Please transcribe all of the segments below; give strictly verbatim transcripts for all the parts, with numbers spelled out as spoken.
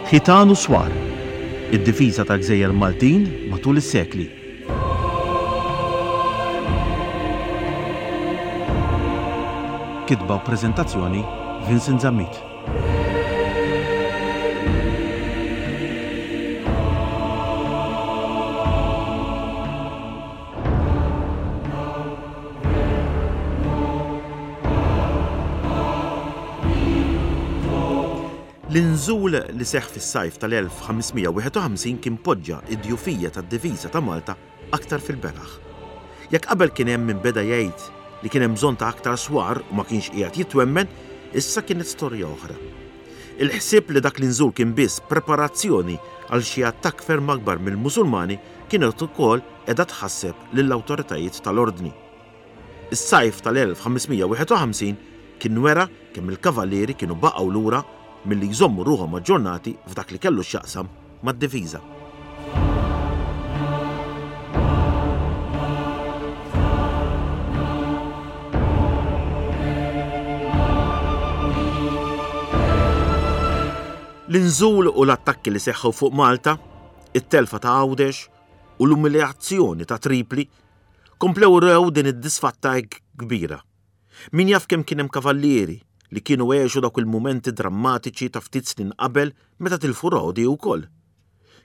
Ħitan u Swar, id-difiża tal-Gżejjer Maltin matul is-sekli. Kitba u preżentazzjoni Vincent Zammit. L-inżul li seħħ fis-sajf tal-elf ħames mija wieħed u ħamsin kien poġġa id-djufija tad-difiża ta' Malta aktar fil-beraħ. Jekk qabel kien hemm min beda jgħid li kien hemm bżonn ta' aktar swar u ma kienx qiegħed jitwemmen, issa kienet storja oħra. Il-ħsieb li dak l-inżul kien biss preparazzjoni għal xi attakk ferm akbar mill-Musulmani kienet ukoll qiegħda tħasseb lill-awtoritajiet tal-ordni. Is-sajf tal-elf ħames mija wieħed u ħamsin kien wera kemm il-kavallieri kienu baqgħu lura milli jżommu ruħhom aġġornati f'dak li kellu x'jaqsam mad-difiża. L-inżul u l-attakki li seħħu fuq Malta, it-telfa ta' Għawdex u l-umiljazzjoni ta' Tripli komplew rew din id-disfatta hekk kbira. Min jaf kemm kien hemm kavallieri li kienu għexu dawk il-mumenti drammatiċi ta' ftit snin qabel meta tilfu Rodi wkoll.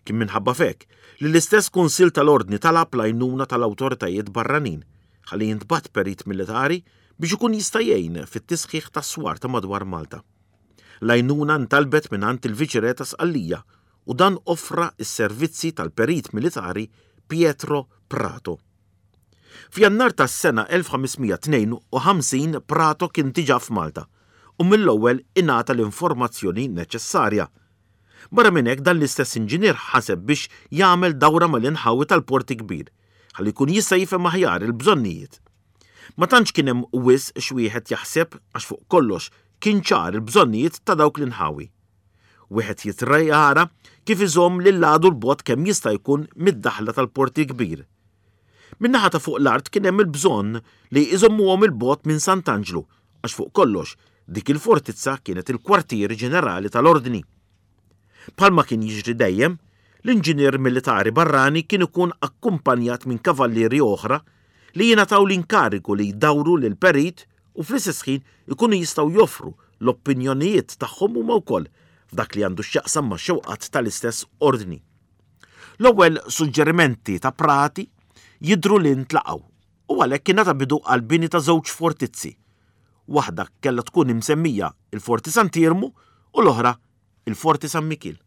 Kien minħabba fek li l-istess Kunsill tal-Ordni talab l-għajnuna tal-awtoritajiet barranin ħalli jintbagħat perit militari biex ikun jista' jgħin fit-tisħiħ tas-swar ta' madwar Malta. L-għajnuna ntalbet mingħand il-Viċirè ta' Sqallija u dan offra s-servizzi tal-perit militari Pietro Prato. F'Jannar tas-sena elf ħames mija tnejn u ħamsin Prato kien diġà f'Malta u mill-ewwel ingħata l-informazzjoni neċessarja. Barra minn hekk dan l-istess inġinier ħaseb biex jagħmel dawra mal-inħawi tal-Porti Kbir ħalli jkun jista' jifhem aħjar il-bżonnijiet. Ma tantx kien hemm wisq x'wieħed jaħseb għax fuq kollox kien ċar il-bżonnijiet ta' dawk l-inħawi. Wieħed jitrajara kif iżomm lil għadu l-bot kemm jista' jkun mid-daħla tal-Porti Kbir. Min-naħa ta' fuq l-art kien hemm il-bżonn li jżommuhom il-bot minn Sant'Anġlu għax fuq kollox dik il-fortizza kienet il-kwartieri ġenerali tal-ordni. Bħalma kien jiġri dejjem, l-inġinier militari barrani kien ikun akkumpanjat minn kavallieri oħra li jingħataw l-inkarigu li jdawru lil perit u fl-istess ħin ikunu jistgħu joffru l-opinjonijiet tagħhom huma wkoll f'dak li għandu x'jaqsam ma' xewqat tal-istess ordni. L-ewwel suġġerimenti ta' Prati jidhru li ntlaqgħu u għalhekk kien ngħata bidu għal bini ta' żewġ fortizzi. Waħda kellha tkun imsemmija il-Forti Sant'Iermu u l-oħra il-Forti San Mikiel.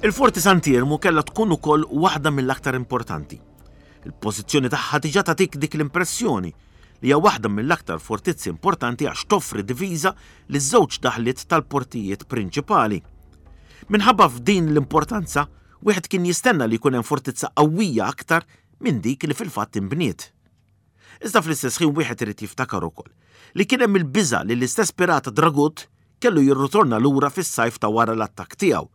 Il-Forti Sant'Iermu kellha tkun ukoll waħda mill-aktar importanti. Il-pożizzjoni tagħha diġà tagħtik dik l-impressjoni li hija waħda mill-aktar fortizzi importanti għax toffri diviża li żewġ daħliet tal-portijiet prinċipali. Minħabba f'din l-importanza, wieħed kien jistenna li jkun hemm fortizza qawwija aktar minn dik li fil-fatt inbniet. Iżda fl-istess ħin wieħed irid jiftakar ukoll li kien hemm il-biża' li l-istess pirata Dragut kellu jirritorna lura fis-sajf ta' wara l-attakk tiegħu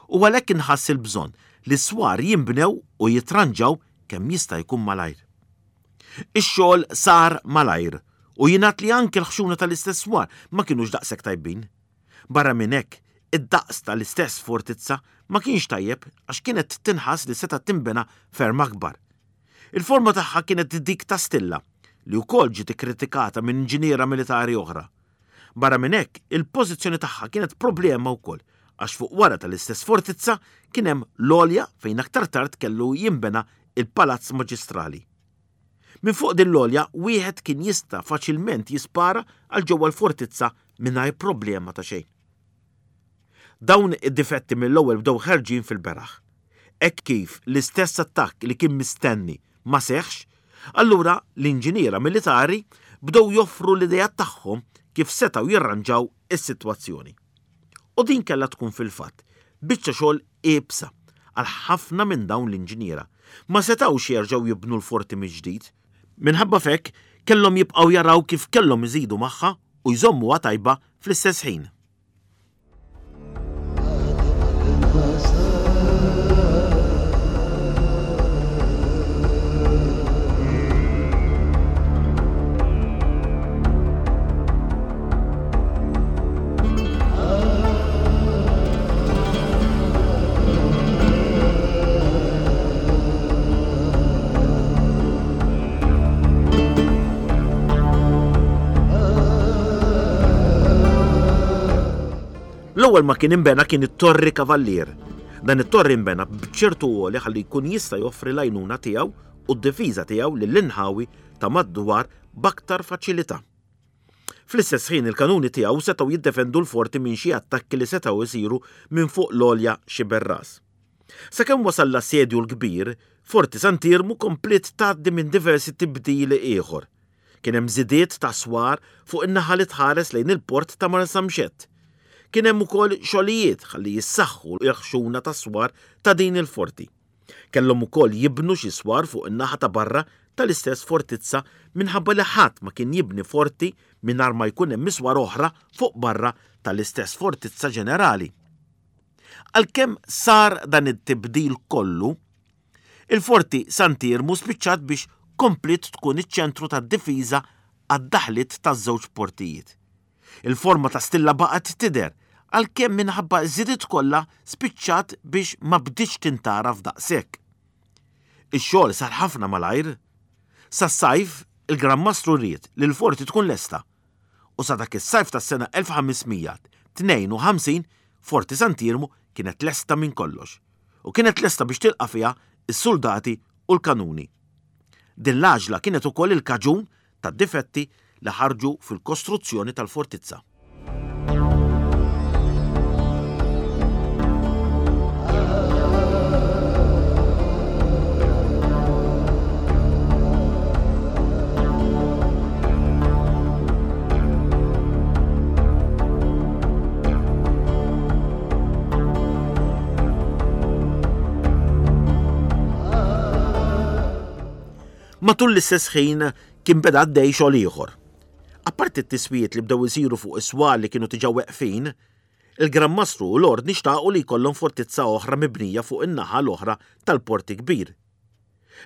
u għalhekk inħass il-bżonn li s-swar jinbnew u jitranġaw kemm jista' jkun malajr. Ix-xogħol sar malajr u jingħad li anke l-ħxuna tal-istess swar ma kinux daqshekk tajbin. Barra minn hekk, id-daqs tal-istess fortizza ma kienx tajjeb għax kienet tinħass li setgħet tinbena ferm akbar. Il-forma tagħha kienet dik ta' stilla li wkoll ġiet ikkritikata minn inġiniera militari oħra. Barra minn hekk, il-pożizzjoni tagħha kienet problema wkoll għax fuq wara tal-istess fortizza kien hemm l-għolja fejn aktar tard kellu jinbena il-Palazz Maġistrali. Minn fuq din l-għolja wieħed kien jista' faċilment jispara għal ġewwa l-fortizza mingħajr problema ta' xejn. Dawn id-difetti mill-ewwel bdew ħerġin fil-beraħ. Hekk kif l-istess attakk li kien mistenni ma seħħx, allura l-inġiniera militari bdew joffru l-idea tagħhom kif setgħu jirranġaw is-sitwazzjoni. U din kellha tkun fil-fatt biċċa xogħol iebsa għal ħafna minn dawn l-inġiniera. Ma setgħux jerġgħu jibnu l-forti mill-ġdid. Minħabba f'hekk kellhom jibqgħu jaraw kif kellhom iżidu magħha u jżommuha tajba fl-istess ħin. L-ewwel ma kien inbena kien it-Torri Kavallier. Dan it-torri nbena b'ċertu għoli ħalli jkun jista' joffri l-għajnuna tiegħu u d-difiża tiegħu lill-inħawi ta' madwar b'aktar faċilità. Fl-istess ħin il-kanuni tiegħu setgħu jiddefendu l-forti minn xi attakki li setgħu jsiru minn fuq l-għolja Xiberras. Sakemm wasal l-assedju l-kbir, Forti Sant'Iermu kompliet tgħaddi minn diversi tibdili ieħor. Kien hemm żidiet ta' swar fuq in-naħa li tħares lejn il-port ta' Marsamxett. Kien hemm ukoll xogħlijiet ħalli jissaħħu l-ħxuna tas-swar ta' din il-forti. Kellhom ukoll jibnu xi swar fuq in-naħa ta' barra tal-istess fortizza minħabba li ħadd ma kien jibni forti mingħajr ma jkun hemm iswar oħra fuq barra tal-istess fortizza ġenerali. Għalkemm sar dan it-tibdil kollu, il-Forti Sant'Iermu spiċċat biex kompliet tkun iċ-ċentru tad-difiża għad-daħliet taż-żewġ portijiet. Il-forma ta' stilla baqgħet tidher, għalkemm minħabba ż-żidiet kollha spiċċat biex ma bdietx tintgħaraf daqshekk. Ix-xogħol sar ħafna malajr. Sas-sajf il-Gran Mastru ried li l-forti tkun lesta u sa dak is-sajf tas-sena elf ħames mija tnejn u ħamsin Forti Sant'Iermu kienet lesta minn kollox u kienet lesta biex tilqa' fiha s-soldati u l-kanuni. Din l-għaġla kienet ukoll il-kaġun tad-difetti li ħarġu fil-kostruzzjoni tal-fortizza. Matul l-istess ħin kien beda għaddej xogħol ieħor. Apparti t-tiswijiet li bdew isiru fuq is-swar li kienu diġà weqfin, il-Gran Mastru u l-Ordni xtaqu li jkollhom fortizza oħra mibnija fuq in-naħa l-oħra tal-Porti Kbir.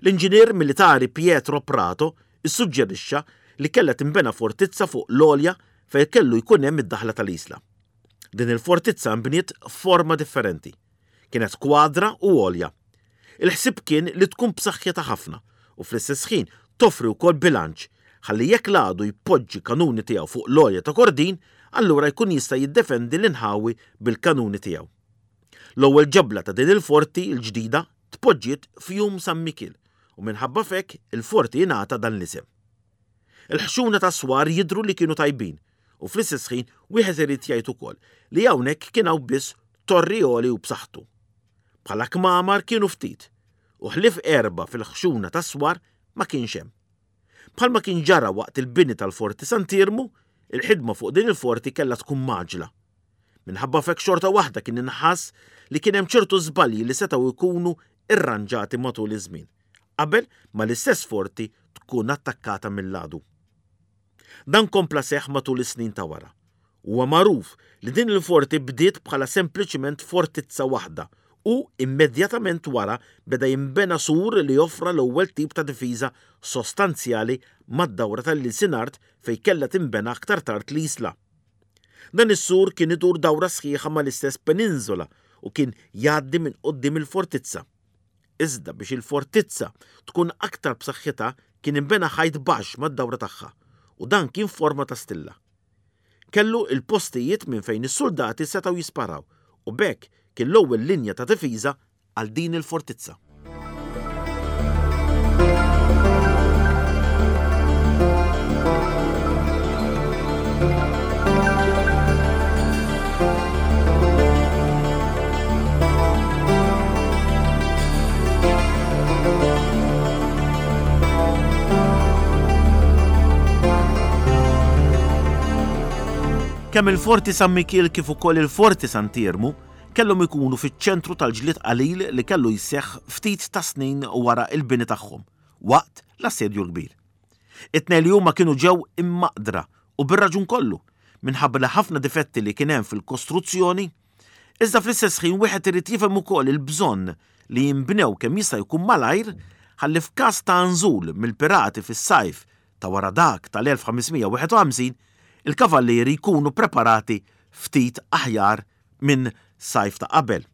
L-inġinier militari Pietro Prato issuġġerixxa li kellha tinbena fortizza fuq l-għolja fejn kellu jkun hemm id-daħla tal-isla. Din il-fortizza nbniet f'forma differenti. Kienet kwadra u għolja. Il-ħsieb kien li tkun b'saħħitha ħafna u fl-istess ħin toffri wkoll bilanċ ħalli jekk l-għadu jpoġġi kanuni tiegħu fuq l-għolja ta' Kordin, allura jkun jista' jiddefendi l-inħawi bil-kanuni tiegħu. L-ewwel ġebla ta' din il-forti l-ġdida tpoġġiet f'jum San Mikiel u minħabba f'hekk il-forti jingħata dan l-isem. Il-ħxuna ta' swar jidhru li kienu tajbin u fl-istess ħin wieħed irid jgħid ukoll li hawnhekk kien hawn biss torri għoli u b'saħħtu. Bħala kmamar kienu ftit u ħlief erba' fil-ħxuna ta' swar ma kienx hemm. Bħalma kien ġara waqt il-bini tal-Forti Sant'Iermu, il-ħidma fuq din il-forti kellha tkun maġla. Minħabba f'hekk xorta waħda kien inħass li kien hemm ċertu żbalji li setgħu jkunu irranġati matul iż-żmien, qabel ma l-istess forti tkun attakkata mill-għadu. Dan kompla seħħ matul is-snin ta' wara. Huwa magħruf li din il-forti bdiet bħala sempliċiment fortizza waħda u immedjatament wara beda jinbena sur li joffra l-ewwel tip ta' difiża sostanzjali mad-dawra tal-Ilsinart fejn kellha tinbena aktar tard l-isla. Dan is-sur kien idur dawra sħiħa mal-istess peninsula u kien jgħaddi minn quddiem il-fortizza. Iżda biex il-fortizza tkun aktar b'saħħitha kien inbena ħajt baxx mad-dawra tagħha u dan kien forma ta' stilla. Kellu il-postijiet minn fejn is-soldati setgħu jisparaw u b'hekk kien l-ewwel linja ta' difiża għal din il-fortizza. Kemm il-Forti San Mikiel kif ukoll il-Forti Sant'Iermu kellhom ikunu fiċ-ċentru tal-ġlied qalil li kellu jseħħ ftit ta' snin wara l-bini tagħhom, waqt l-Assedju l-Kbir. It-tnejn li huma kienu ġew immaqdra u bir-raġun kollu, minħabba li ħafna difetti li kien hemm fil-kostruzzjoni, iżda fl-istess ħin wieħed irid jifhem ukoll il-bżonn li jinbnew kemm jista' jkun malajr ħalli f'każ ta' nżul mill-pirati fis-sajf ta' wara dak tal-elf ħames mija wieħed u ħamsin, il-kavallieri jkunu preparati ftit aħjar minn sajf ta' qabel.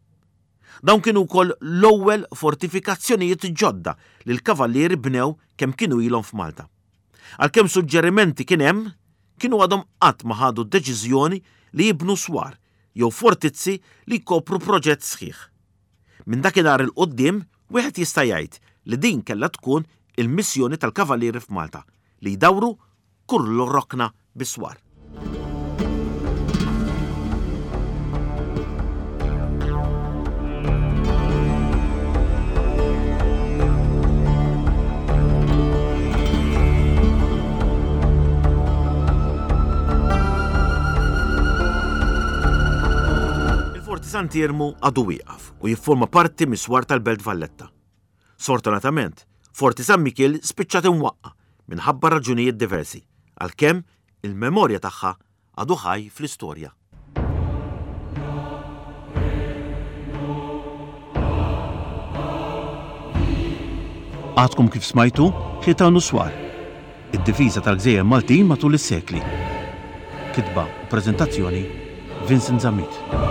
Dawn kienu wkoll l-ewwel fortifikazzjonijiet ġodda li l-kavallieri bnew kemm kienu ilhom f'Malta. Għalkemm suġġerimenti kien hemm, kienu għadhom qatt ma ħadu d-deċiżjoni li jibnu swar jew fortizzi li jkopru proġett sħiħ. Minn dakinhar il quddiem wieħed jista' jgħid li din kellha tkun il-missjoni tal-kavallieri f'Malta, li jdawru kull rokna biswar. Il-Forti Sant'Iermu għadu wieqaf u jifforma parti mis-swar tal-Belt Valletta. Sfortunatament, Forti San Mikiel spiċċat imwaqqa minħabba raġunijiet diversi, għalkemm il-memorja tagħha għadu ħaj fl-istorja. Għadkom kif smajtu Ħitan u Swar, id-difiża tal-Gżejjer Maltin matul is-sekli. Kitba u preżentazzjoni Vincent Zammit.